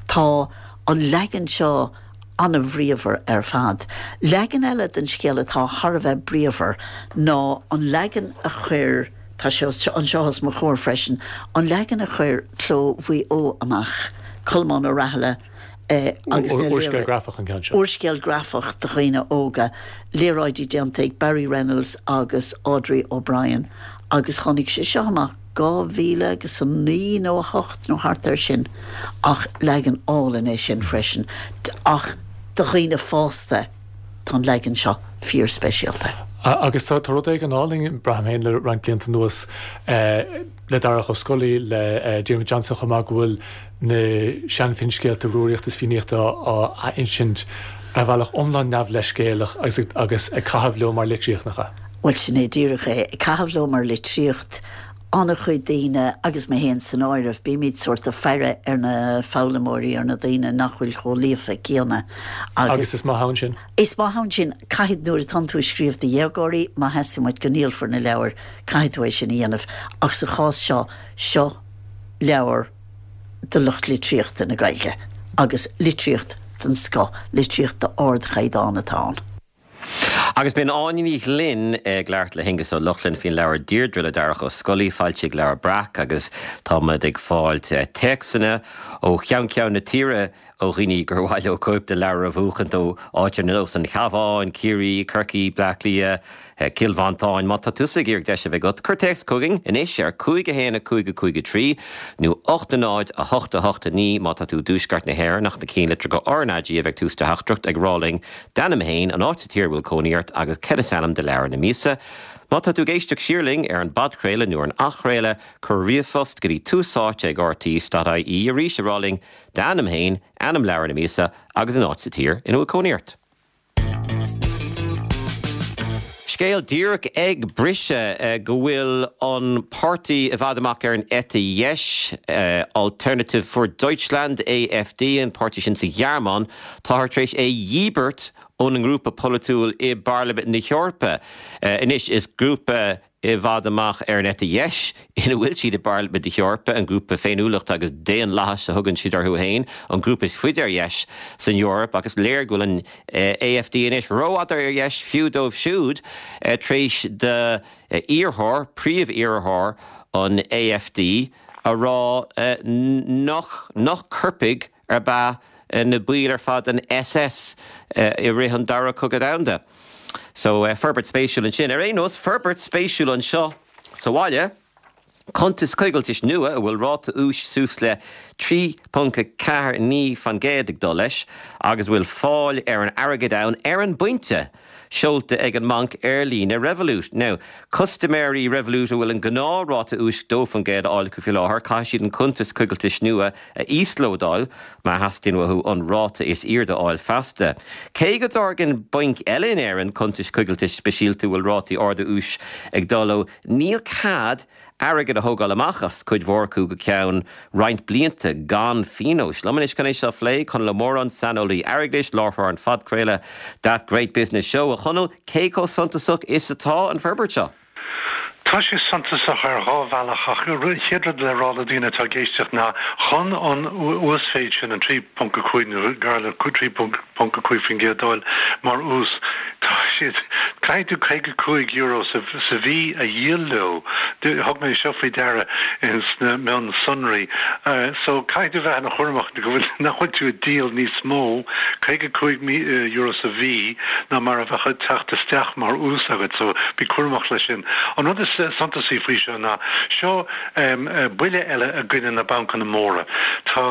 tá an leagan seo an-bhríomhar ar fad. Leagan eile den scéal atá thar a bheith bríomhar ná an leagan a chuir, tá sé anseo os mo chomhair freisin, an leagan a chuir Cló Mhaigh Eo amach, Colmán Ó Rathaille agus na Úrscéal grafach an ceann seo. Úrscéal grafach do dhaoine óga, léaráidí déanta ag Barry Reynolds agus Audrey O'Brien agus tháinig sé seo amach 2000 agus 9 nó 8 nó thart air sin ach leagan álainn é sin freisin. Ach do dhaoine fásta tá an leagan seo fíor speisialta. Agus tá rud éigin álainn, braithim féin le roinnt blianta anuas, le Darach Ó Scolaí, le Diarmuid Johnson chomh maith, go bhfuil na sean-fhinscéalta Rúraíochta is Fiannaíochta á athinsint ar bhealach iomlán neamhleithscéalach agus ag caitheamh leo mar litríocht, nach ea? Bhuel, sin é díreach é, ag caitheamh leo mar litríocht. An-chuid daoine, agus mé féin san áireamh, bímid sórt ag faire ar na foghlaimeoirí, ar na daoine nach bhfuil chomh líofa céanna agus. Agus is maith ann sin. Is maith ann sin. Caithfidh, nuair atánn tú ag scríobh do dhéagóirí, má theastaíonn uait go ndíolfar na leabhair, caithfidh tú é sin a dhéanamh. Ach sa chás seo, seo leabhar do lucht litríochta na Gaeilge agus litríocht den scoth, litríocht d'ardchaighdeán atá ann. Agus b'in Áine Ní Ghlinn ag labhairt le hAonghus Ó Lochlainn faoin leabhar Deirdre le Darach Ó Scolaí, foilsithe ag Leabhar Breac, agus táimid ag fáil téacsanna ó cheann ceann na tíre ó dhaoine gur mhaith leo cóip de leabhar a bhuachaint ó áit ar nós an Chabháin, Ciarraí, Corcaigh, Bleá Cliath, Cill Mhantáin. Má tá tusa ag iarraidh deis a bheith agat, cuir téacs chugainn anois ar 5 1 5 5 3 nó 8 0 8 8 9 má tá tú i dtuaisceart na hÉireann ach na cinnlitreacha RnaG a bheith ag tús do theachtaireacht ag rá linn d'ainm féin, an áit sa tír a bhfuil cónaí ort agus cad is ainm do leabhar na míosa. Má tá tú ag éisteacht siar linn ar an bpodchraoladh nó ar an athchraoladh, cuir ríomhphost go dtí túsáite ag rte.ie arís ag rá linn d'ainm féin, ainm leabhar na míosa agus an áit sa tír ina bhfuil cónaí ort. Scéal díreach ag briseadh go bhfuil an páirtí i bhfad amach ar an eite dheis, Alternative für Deutschland, AfD, an páirtí sin sa Ghearmáin, táthar tar éis é dhíbirt. óna ngrúpa polaitiúil i bParlaimint na hEorpa. Anois, is grúpa i bhfad amach ar an eite dheis ina bhfuil siad i bParlaimint na hEorpa, an grúpa Féiniúlachta agus Daonlathais a thugann siad orthu féin, an grúpa is faide ar dheis san Eoraip agus is léir go bhfuil an AfD anois rófhada ar dheis fiú dóibh siúd tar éis d'iarrthóir, príomh-iarrthóir an AfD a rá nach nach coirpigh ab ea na baill ar fad den SS i rith an Dara Cogadh Domhanda. So, forbairt spéisiúil ansin. Ar aon nós, forbairt spéisiúil anseo sa bhaile, cuntas coigiltis nua a bhfuil ráta úis suas le 3.49% ag dul leis agus a bhfuil fáil ar an airgead ann ar an bpointe! seolta ag an mbanc ar líne Revolut. Now, custaiméirí Revolut a bhfuil an gnáthráta úis 2% á fháil acu faoi láthair, caithfidh siad an cuntas coigiltis nua a íoslódáil má theastaíonn uathu an ráta is airde a fháil feasta. Cé go dtairgeann bainc eile in Éirinn cuntais coigiltis speisialta a bhfuil rátaí arda úis ag dul leo, níl cead airgead a thógáil amach as cuid mhór acu go ceann roinnt blianta gan phionós. Liom anois chun é seo a phlé, Conall Ó Móráin, saineolaí airgeadais, láithreoir an phodchraoladh That Great Business Show. A Chonaill, cé chomh suntasach is atá an forbairt seo? Tá sé suntasach ar dhá bhealach ach an chéad rud le rá le daoine atá ag éisteacht ná chun an uasmhéid sin, an 3.5 nó gar le 3.5% a fháil mar ús, Tá siad, caithfidh tú €55 sa mhí a dhíol leo. Thug mé seo faoi deara sna mionsonraí. So caithfidh tú bheith ana chúramach go bhfuil, nach bhfuil tú ag díol níos mó, €55 sa mhí, ná mar a bheadh ag teacht isteach mar ús agat. So bí cúramach leis sin. An rud is suntasaí faoi seo ná, seo buille eile i gcoinne na bancanna móra. Tá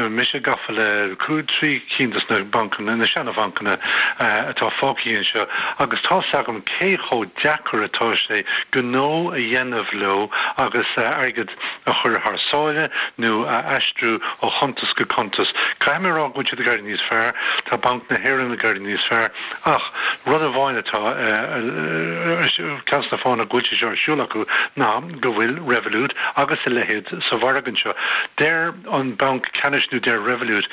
mise gafa le 3 cinn dos na bancanna, na seana-bhancanna atá fágtha anseo agus tá's agam cé chomh deacair atá sé gnó a dhéanamh leo agus airgead a chur thar sáile nó a aistriú ó chuntas go cuntas. Caithfidh mé a rá go bhfuil siad ag éirí níos fearr, tá Banc na hÉireann ag éirí níos fearr ach rud amháin atá, ceann des na fáthanna go bhfuil sé seo ar siúl acu ná go bhfuil Revolut agus a leithéid sa mhargadh anseo. Deir an Banc Ceannais nó deir Revolut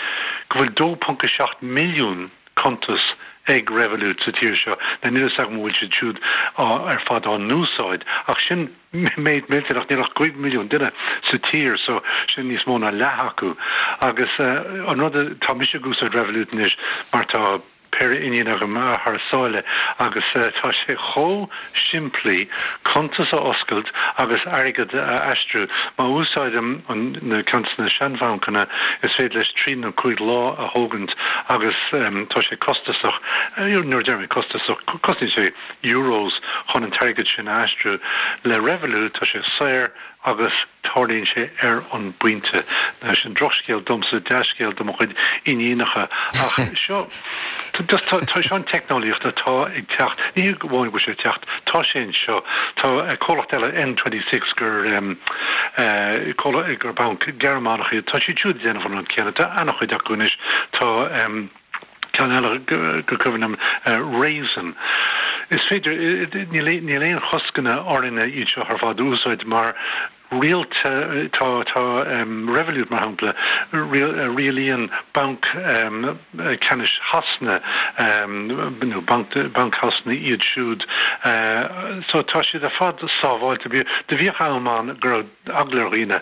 go bhfuil 2.7 milliún cuntas ag Revolut sa tír seo. Now níl a fhios agam an bhfuil siad siúd ar fad á n-úsáid ach sin méid millteanach, níl ach 5 milliún duine sa tír so sin níos mó ná leath acu. Agus an rud, tá mise ag úsáid Revolut anois mar tá. péire iníon agam thar sáile agus tá sé chomh simplí cuntas a oscailt agus airgead a aistriú. Má úsáidim an ceann de na seanbhancanna is féidir leis trí nó cúig lá a thógaint agus tá sé costasach, nuair a deir mé costasach, cosnaíonn sé euros chun an t-airgead sin a aistriú. Le Revolut tá sé saor agus tarlaíonn sé ar an bpointe. Now sin drochscéal domsa, dea-scéal do mo chuid iníonacha. Ach seo, just tá, tá seo an teicneolaíocht atá ag teacht, ní hé amháin go bhfuil sé ag teacht, tá sé anseo. Tá comhlacht eile, N26, gur eh, comhlacht, gur banc Gearmánach iad, tá siad siúd ag déanamh an rud céanna. Tá an-chuid acu anois. Tá em, ceann eile gur cuimhin liom, Raisin. Is féidir, níl aon choscanna orainne iad seo ar fad a úsáid mar rialta, tá tá Revolut mar shampla, rialaíonn Banc Ceannais Shasana nó Banc Shasana iad siúd so tá siad ar fad sábháilte. Do bhíodh am ann go raibh eagla ar dhaoine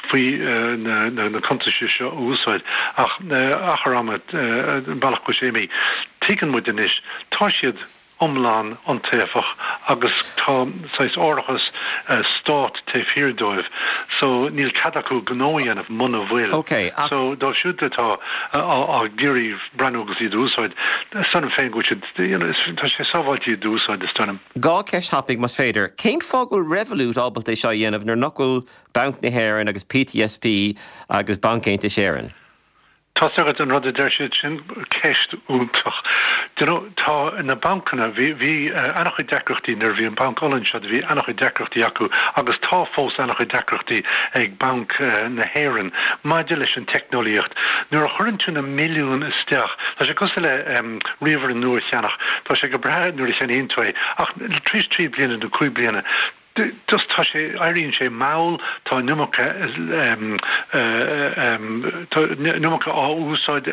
faoi na cuntais seo a úsáid ach achar ama, an bealach go bhfuil sé imithe, tuigeann muid anois, tá siad iomlán iontaofach agus tá saghas árachas stát taobh thiar dóibh so níl cead acu gnó a dhéanamh muna bhfuil. So dóibh siúd atá ag iarraidh breathnú agus iad a úsáid, is dóigh liom féin go bhfuil siad, you know, tá sé sábháilte iad a úsáid is dóigh liom. Dhá cheist thapaidh, más féidir. Cén fáth go bhfuil Revolut ábalta é seo a dhéanamh nuair nach bhfuil Banc na hÉireann agus PTSB agus Banc Aontais Éireann? Tá's agat an rud a deir siad, sin ceist iontach. Do you know, tá na bancanna, bhí, bhí an-chuid deacrachtaí nuair a bhí an Banc Uladh anseo, bhí an-chuid deacrachtaí acu agus tá fós an-chuid deacrachtaí ag Banc na hÉireann maidir leis an teicneolaíocht. Nuair a chuireann tú na milliúin isteach, tá sé cosúil le ríomhaire nua a cheannach, tá sé go breá nuair a cheannaíonn tú é ach tar éis trí bliana nó cúig bliana. Just tá sé, éiríonn sé mall, tá an iomarca, tá an iomarca á úsáid,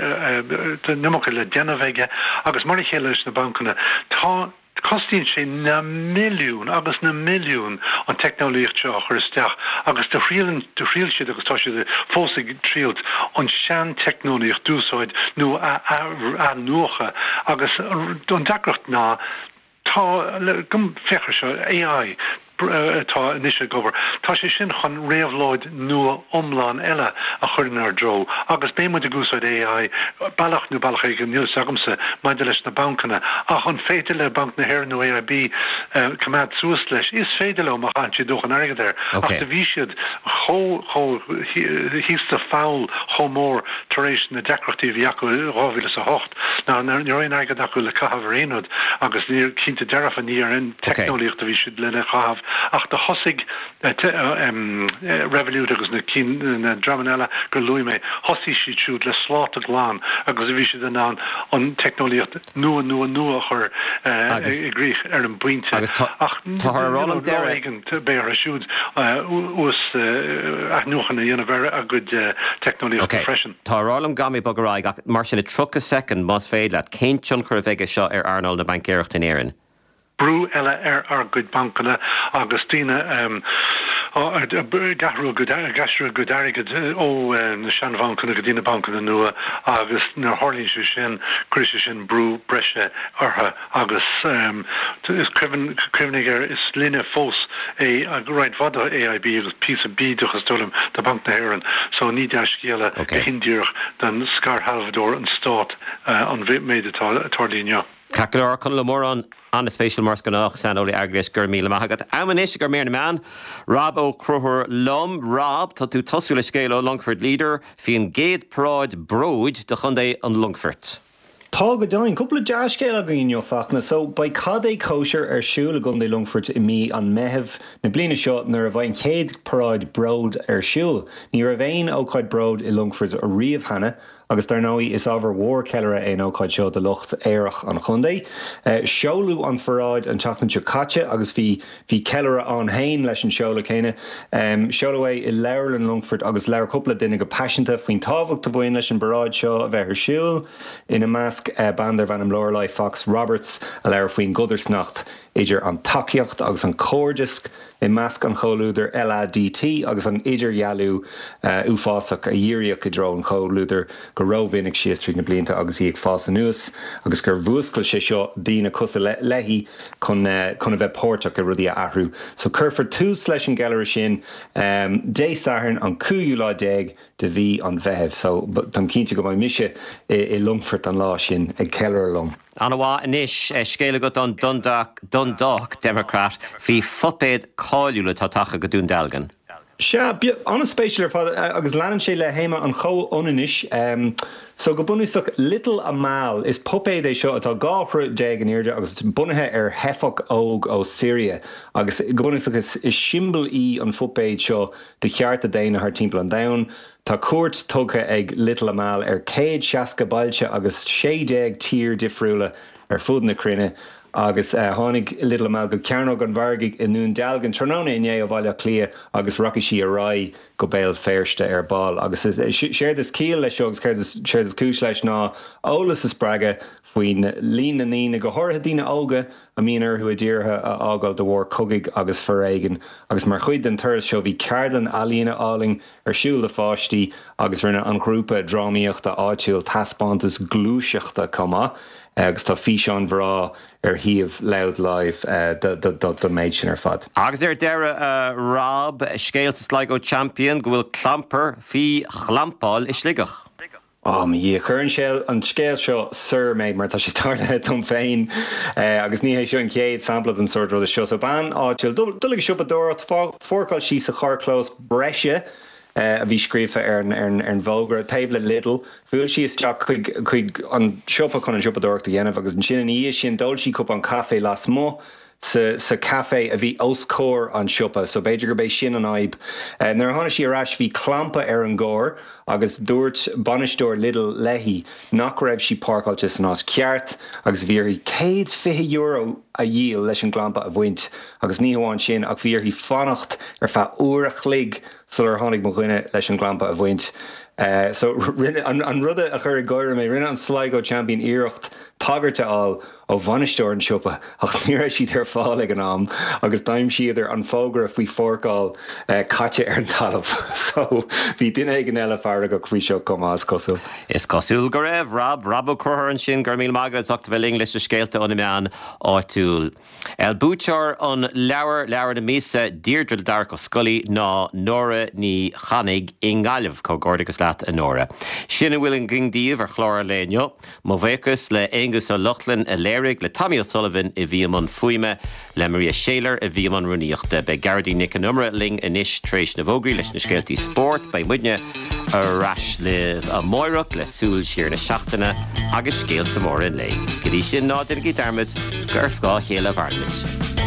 tá an iomarca le déanamh aige agus mar a chéile leis na bancanna, tá, cosnaíonn sé na milliúin agus na milliúin an teicneolaíocht seo a chur isteach agus do thriail, do thriail siad agus tá siad fós ag triailt an sean-teicneolaíocht d'úsáid nó a athnuachan agus an deacracht ná, Tá, féach air seo, AI atá anois ag obair, tá sé sin chun réabhlóid nua iomlán eile a chur inár dtreo agus beidh muid ag úsáid AI bealach nó bealach éigin, níl fhios agamsa, maidir leis na bancanna. Ach an féidir le Banc na hÉireann nó AIB coimeád suas leis? Is féidir leo má chaitheann siad dóthain airgid air. Ach do bhí siad chomh, chomh thíos sa pholl chomh mór tar éis na deacrachtaí a bhí acu i 2008. Ná ní raibh aon airgead acu le caitheamh ar aon rud agus ní, cinnte dearfa, ní ar an teicneolaíocht a bhí siad lena chaitheamh ach do thosaigh Revolut agus na cinn, na dreamanna eile gur luaigh mé, thosaigh siad siúd le sláta glan agus bhí siad in ann an teicneolaíocht nua, nua, nua a chur i gcrích ar an bpointe. Ach lá éigin beidh orthu siúd uas athnuachan a dhéanamh ar a gcuid teicneolaíochta freisin. Tá a rá liom go gcaithfidh mé bogadh ar aghaidh, ach mar sin, i 30 soicind, más féidir leat, cén tionchar a bheidh aige seo ar earnáil na baincéireachta in Éirinn? Brú eile ar ár gcuid bancanna agus daoine ag athrú a gcuid, ag aistriú a gcuid airgid ó na seanbhancanna go dtí na bancanna nua agus nuair a tharlaíonn sé sin, cuirfidh sé sin brú breise orthu. Agus is cuimhin, cuimhnigh air, is linne fós é roinnt mhaith de AIB agus píosa bídeach is dóigh liom de Bhanc na hÉireann, so ní dea-scéala go hindíreach don scairshealbhóir, an Stát, an méid atá ag tarlú inniu. Ceart go leor, Conall Ó Móráin, an-spéisiúil mar is gnách, saineolaí airgeadais, go raibh míle maith agat. Am anois ag mír na meán, Rob Ó Conchúir liom. Rob, tá tú ag tosú le scéal ó Longford Leader faoin gcéad paráid bróid do chontae an Longfoirt. Tá go deimhin. Cúpla dea-scéal againn inniu, Fachtna. So, beidh cad é cóisir ar siúl i gContae Longfoirt i mí an Mheithimh na bliana seo nuair a bheidh an chéad paráid bróid ar siúl. Ní raibh aon ócáid bróid i Longfort riamh cheana agus dar ndóigh is ábhar mhór ceiliúradh é an ócáid seo do lucht aerach an chontae. Seoladh an pharáid an tseachtain seo caite agus bhí Bhí ceiliúradh ann féin leis an seoladh céanna. Seoladh é i Leabharlann Longfoirt agus labhair cúpla duine go paiseanta faoin tábhacht a bhain leis an bparáid seo a bheith ar siúl, ina measc bean darbh ainm Lorelei Fox Roberts a labhair faoin gcodarsnacht idir an tacaíocht agus an cairdeas i measc an chomhluadair LADT agus an idirdhealú uafásach a dhíríodh i dtreo an chomhluadair go rómhinic síos tríd na blianta agus í ag fás anuas agus gur mhúscail sé seo daoine cosúil léi chun chun a bheith páirteach i rudaí a athrú. So cuirfear tús leis an gceiliúradh sin Dé Sathairn an cúigiú lá déag de mhí an Mheithimh. So táim cinnte go mbeidh mise i Longfort an lá sin ag ceiliúradh liom. An-mhaith. Anois, scéal agat ón Dundalk Democrat faoi phuipéad cáiliúil atá tagtha go Dún Dealgan. Sea, an-spéisiúil ar fad agus leanann sé le théama an chomhionannais. So, go bunúsach, Little Amal, is puipéad é seo atá 12 throigh in airde agus bunaithe ar theifeach óg ó Siria agus go bunúsach is siombail í an phuipéad seo do chearta daonna thar timpeall an domhain. Tá cuairt tugtha ag Little Amal ar 160 bailte agus 16 tír difriúla ar fud na cruinne Agus tháinig Little Amal go Cearnóg an Mhargaidh i nDún Dealgan tráthnóna inné ó Bhaile Átha Cliath agus rachaidh sí ar aghaidh go Béal Feirste ar ball. Agus séard is ciall leis seo agus séard is cúis leis ná eolas a spreagadh faoin líon na ndaoine, go háirithe daoine óga, a mbíonn orthu a dtíortha a fhágáil de bharr cogaidh agus foréigin. Agus mar chuid den turas seo bhí ceardlann ealaíne álainn ar siúl do pháistí agus rinne an ghrúpa drámaíochta áitiúil taispeántas gluaiseachta chomh maith agus tá físeáin bhreá ar shuíomh Louth Live don méid sin ar fad. Agus ar deireadh, a Rob, scéal sa Sligo Champion go bhfuil clampar faoi chlampáil i Sligeach. Ó mo Dhia, chuir an an scéal seo soir mé mar tá sé tarlaithe dom féin agus ní hé seo an chéad sampla den sórt ruda seo. So bean áitiúil, dul ag siopadóireacht, pháirceáil sí sa charrchlós breise a bhí scríofa ar an ar an bhfógra taobh le Lidl. Bhuail sí isteach chuig chuig an siopa chun an siopadóireacht a dhéanamh agus ansin ina dhiaidh sin d'ól sí cupán caife lasmuigh. sa sa café a bhí os comhair an siopa, so b'fhéidir gurb é sin an fhadhb. Nuair a tháinig sí ar ais bhí clampa ar an gcarr agus dúirt bainisteoir Lidl léi nach raibh sí páirceáilte san áit cheart agus bhí uirthi €120 a dhíol leis an gclampa a bhaint agus ní hamháin sin ach bhí uirthi fanacht ar feadh uair a chloig sular tháinig mo dhuine leis an gclampa a bhaint. So rinne, an rud a chuir ag gáire mé, rinne an Sligo Champion iarracht tagairt a fháil ó bhainisteoir an tsiopa ach ní raibh siad ar fáil ag an am agus d'aimsíodar an fógra faoi pháirceáil caite ar an talamh. So bhí duine éigin eile feargach faoi seo chomh maith, is cosúil. Is cosúil go raibh. Rob, Rob Ó Conchúir ansin, go raibh míle maith agat as ucht a bheith linn leis na scéalta ó na meáin áitiúil. Buaiteoir an leabhair, Leabhar na Míosa, Deirdre le Darach Ó Scolaí ná Nóra Ní Chanaigh i nGaillimh. Comhghairdeachas leat a Nóra. Sin a bhfuil againn daoibh ar chlár an lae inniu. Mo bhuíochas le Aonghus Ó Lochlainn a léirigh, le Tommy O'Sullivan a bhí i mbun fuaime, le Maria Shayler a bhí i mbun rúnaíochta. Beidh Gearóidín Nic Con Iomaire linn anois tar éis na bhfógraí leis na scéaltaí spóirt. Beidh muidne ar ais libh amáireach le súil siar na seachtaine agus scéalta móra an lae. Go dtí sin, ná déanaigí dearmad gur ar scáth a chéile a mhaireann muid.